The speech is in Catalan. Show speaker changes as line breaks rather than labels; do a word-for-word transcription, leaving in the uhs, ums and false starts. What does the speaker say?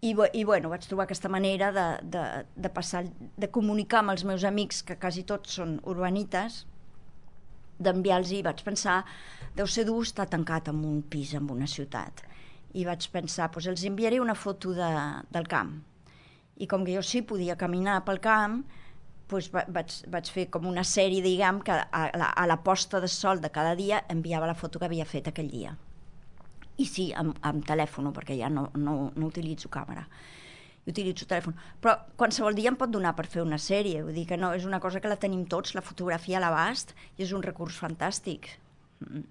I, i bueno, vaig trobar aquesta manera de, de, de passar, de comunicar amb els meus amics, que quasi tots són urbanites, d'enviar-los, i vaig pensar, deu ser dur estar tancat en un pis, en una ciutat. I vaig pensar, doncs els enviaré una foto de, del camp. I com que jo sí podia caminar pel camp, doncs vaig, vaig fer com una sèrie, diguem, que a la, a la posta de sol de cada dia enviava la foto que havia fet aquell dia. I sí, amb, amb telèfon, perquè ja no, no, no utilitzo càmera. I utilitzo telèfon. Però qualsevol dia em pot donar per fer una sèrie. Vull dir que no, és una cosa que la tenim tots, la fotografia a l'abast, i és un recurs fantàstic. Mm.